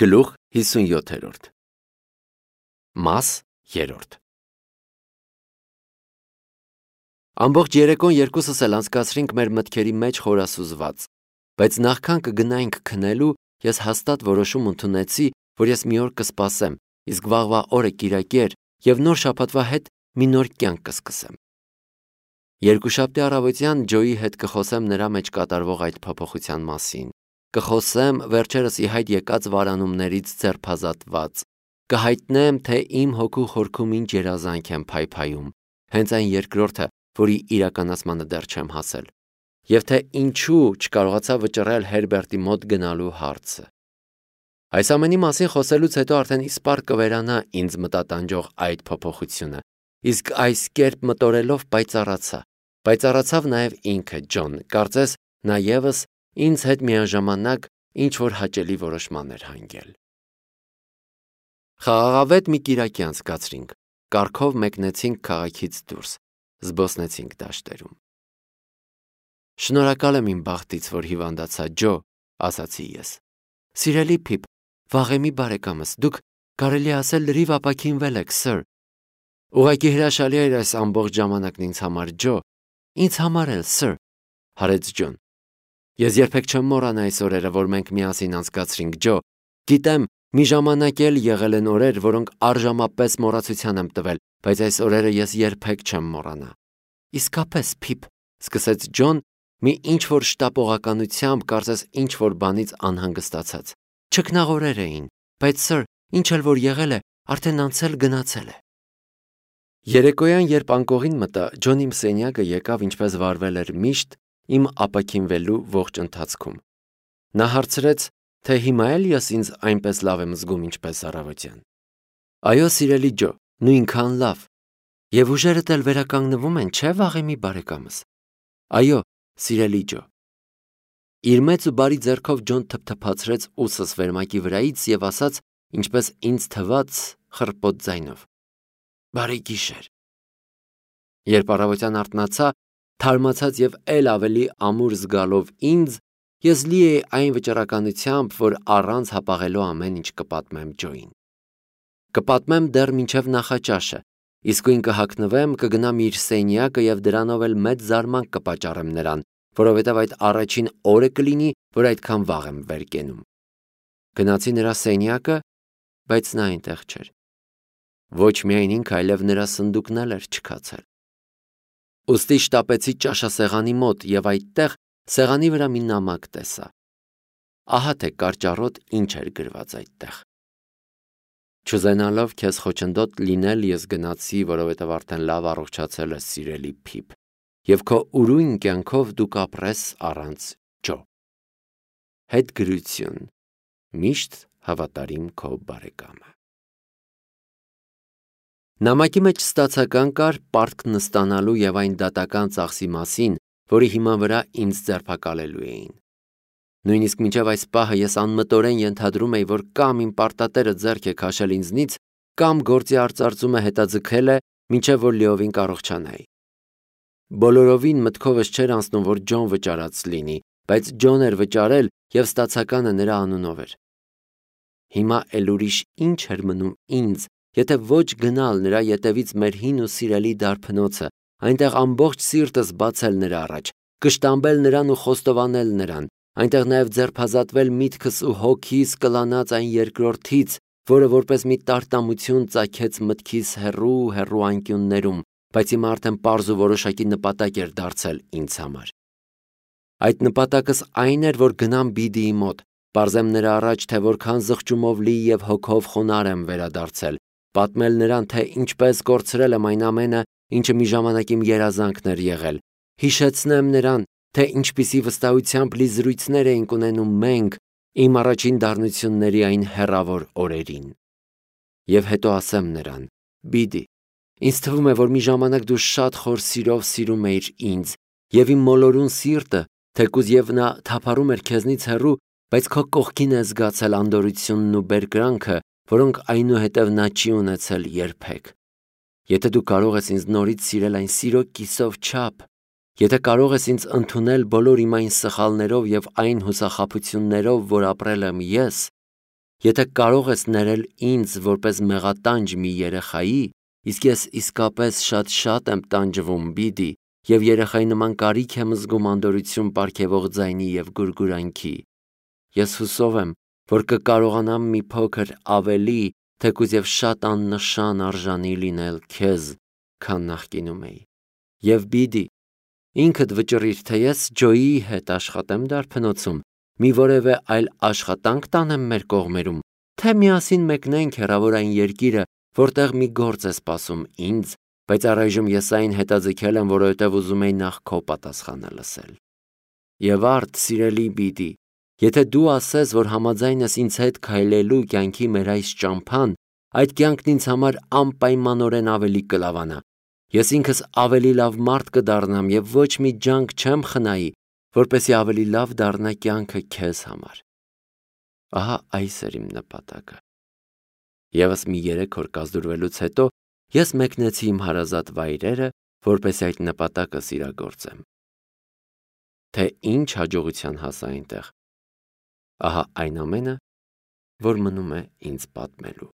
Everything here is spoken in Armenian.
Գլուխ 57 Մաս 3 Ամբողջ երեկոն երկուսս էլ անցկացրինք մեր մտքերի մեջ խորասուզված, բայց նախքան կգնայինք քնելու, ես հաստատ որոշում ընդունեցի, որ ես մի օր կսպասեմ, իսկ վաղվա օրը կիրակի էր և նոր շաբաթվա հետ մի նոր կյանք կսկսեմ։ Երկուշաբթի առավոտյան Ջոյի հետ կխոսեմ նրա մեջ կատարվող այդ փոփոխության մասին։ Կխոսեմ վերջերս ի հայտ եկած վարանումներից ձերբազատված, կհայտնեմ, թե իմ հոգու խորքում ինչ երազանք եմ փայփայում, հենց այն երկրորդը, որի իրականացմանը դեռ չեմ հասել, և թե ինչու չկարողացա վճռել Հերբերտի մոտ գնալու հարցը։ Այս ամենի մասին խոսելուց հետո արդեն իսպառ կվերանա ինձ մտատանջող այդ փոփոխությունը, իսկ այս կերպ մտորելով պայծառացավ նաև ինքը Ջոն, կարծես նա ևս ինձ հետ միաժամանակ ինչ-որ հաճելի որոշման էր հանգել։ Խաղաղավետ մի կիրակի անցկացրինք, կառքով մեկնեցինք քաղաքից դուրս, զբոսնեցինք դաշտերում։ Շնորհակալ եմ իմ բախտից, որ հիվանդացա, Ջո, ասացի ես։ Սիրելի Փիփ, վաղեմի բարեկամս, դուք կարելի ասել լրիվ ապաքինվել եք, սըր։ Ուղղակի հրաշալի էր այս ամբողջ ժամանակն ինձ համար, Ջո։ Ինձ համար էլ, սըր, հարեց Ջոն։ Ես երբեք չեմ մոռանա այս օրերը, որ մենք միասին անցկացրինք, Ջո։ Գիտեմ, մի ժամանակ էլ եղել են օրեր, որոնք առժամապես մոռացության եմ տվել, բայց այս օրերը ես երբեք չեմ մոռանա։ Իսկապես, Փիփ, սկսեց Ջոն, մի ինչ-որ շտապողականությամբ, կարծես ինչ-որ բանից անհանգստացած։ Չքնաղորեր էին, բայց սըր, ինչ էլ որ եղել է, արդեն անցել գնացել է։ Երեկոյան, երբ անկողին մտա, Ջոնի իմ սենյակը եկավ ինչպես վարվել էր միշտ իմ ապաքինվելու ողջ ընթացքում։ Նա հարցրեց, թե հիմա էլ ես ինձ այնպես լավ եմ զգում, ինչպես առավոտյան։ Այո, սիրելի Ջո, նույնքան լավ։ Եվ ուժերդ էլ վերականգնվում են, չէ՞ վաղեմի բարեկամս։ Այո, սիրելի Ջո։ Իր մեծ ու բարի ձեռքով Ջոն թփթփացրեց ուսս վերմակի վրայից և ասաց, ինչպես ինձ թվաց, խռպոտ ձայնով. Բարի գիշեր։ Երբ առավոտյան արթնացա, թարմացած և էլ ավելի ամուր զգալով ինձ, ես լի էի այն վճռականությամբ, որ առանց հապաղելու ամեն ինչ կպատմեմ Ջոյին։ Կպատմեմ դեռ մինչև նախաճաշը, իսկույն կհագնվեմ, կգնամ իր սենյակը և դրանով էլ մեծ զարմանք կպատճառեմ նրան, որովհետև այդ առաջին օրը կլինի, որ այդքան վաղ եմ վեր կենում։ Գնացի նրա սենյակը, բայց նա այնտեղ չէր։ Ոչ միայն ինքը, այլև նրա սնդուկն էլ էր չքացել։ Ուստի շտապեցի ճաշասեղանի մոտ և այդտեղ սեղանի վրա մի նամակ տեսա։ Ահա թե կարճառոտ ինչ էր գրված այդտեղ։ Չուզենալով քեզ խոչընդոտ լինել, ես գնացի, որովհետև արդեն լավ առողջացել ես, սիրելի Փիփ, և քո ուրույն կյանքով դու կապրես առանց Ջո։ Հետգրություն։ Միշտ հավատարիմ քո բարեկամը։ Նամակի մեջ ստացական կար պարտք նստանալու և այն դատական ծախսի մասին, որի հիման վրա ինձ ձերբակալելու էին։ Նույնիսկ մինչև այս պահը ես անմտորեն ենթադրում էի, որ կամ իմ պարտատերը ձեռք է քաշել ինձնից, կամ գործի արծարծումը հետաձգել է, մինչև որ լիովին կառողջանայի։ Բոլորովին մտքովս չէր անցնում, որ Ջոն վճարած լինի, բայց Ջոն էր վճարել և ստացականը նրա անունով էր։ Հիմա էլ ուրիշ ինչ էր մնում ինձ, եթե ոչ գնալ նրա ետևից մեր հին ու սիրելի դարբնոցը, այնտեղ ամբողջ սիրտս բացել նրա առաջ, կշտամբել նրան ու խոստովանել նրան, այնտեղ նաև ձերբազատվել միտքս ու հոգիս կլանած այն երկրորդից, որը որպես մի տարտամություն ծագեց մտքիս հեռու անկյուններում, բայց հիմա արդեն պարզ ու որոշակի նպատակ էր դարձել ինձ համար։ Այդ նպատակս այն էր, որ գնամ Բիդիի մոտ, պարզեմ նրա առաջ, թե որքան զղջումով լի և հոգով խոնարհ եմ վերադարձել, պատմել նրան, թե ինչպես կորցրել եմ այն ամենը, ինչը մի ժամանակ իմ երազանքն էր եղել, հիշեցնեմ նրան, թե ինչպիսի վստահությամբ լի զրույցներ էինք ունենում մենք իմ առաջին դառնությունների այն հեռավոր օրերին։ Եվ հետո ասեմ նրան. Բիդի, ինձ թվում է, որ մի ժամանակ դու շատ խոր սիրով սիրում էիր ինձ, և իմ մոլորուն սիրտը, թեկուզ և նա թափառում էր քեզնից հեռու, բայց քո կողքին է զգացել անդորրությունն ու բերկրանքը, որոնք այնուհետև նա չի ունեցել երբեք։ Եթե դու կարող ես ինձ նորից սիրել այն սիրո կիսով չափ, եթե կարող ես ինձ ընդունել բոլոր իմ այն սխալներով և այն հուսախաբություններով, որ ապրել եմ ես, եթե կարող ես ներել ինձ որպես մեղատանջ մի երեխայի, իսկ ես իսկապես շատ եմ տանջվում, Բիդի, և երեխայի նման կարիք եմ զգում անդորրություն պարգևող ձայնի և գուրգուրանքի, ես հուսով եմ, որ կկարողանամ մի փոքր ավելի, թեկուզ և շատ աննշան արժանի լինել քեզ, քան նախկինում էի։ Եվ Բիդի, ինքդ վճռիր, թե ես Ջոյի հետ աշխատեմ դարբնոցում, մի որևէ այլ աշխատանք տանեմ մեր կողմերում, թե միասին մեկնենք հեռավորային երկիրը, որտեղ մի գործ է սպասում ինձ, բայց առայժմ ես այն հետաձգել եմ, որովհետև ուզում էի նախ քո պատասխանը լսել։ Եվ արդ, սիրելի Բիդի, եթե դու ասես, որ համաձայն ես ինձ հետ քայլելու կյանքի մեր այս ճամփան, այդ կյանքն ինձ համար անպայմանորեն ավելի կլավանա։ Ես ինքս ավելի լավ մարդ կդառնամ և ոչ մի ջանք չեմ խնայի, որպեսզի ավելի լավ դառնա կյանքը քեզ համար։ Ահա այս էր իմ նպատակը։ Եվս մի 3 օր կազդուրվելուց հետո ես մեկնեցի իմ հարազատ վայրերը, որպեսզի այդ նպատակս իրագործեմ։ Թե ինչ հաջողության հասա այնտեղ, ահա այն ամենը, որ մնում է ինձ պատմելու։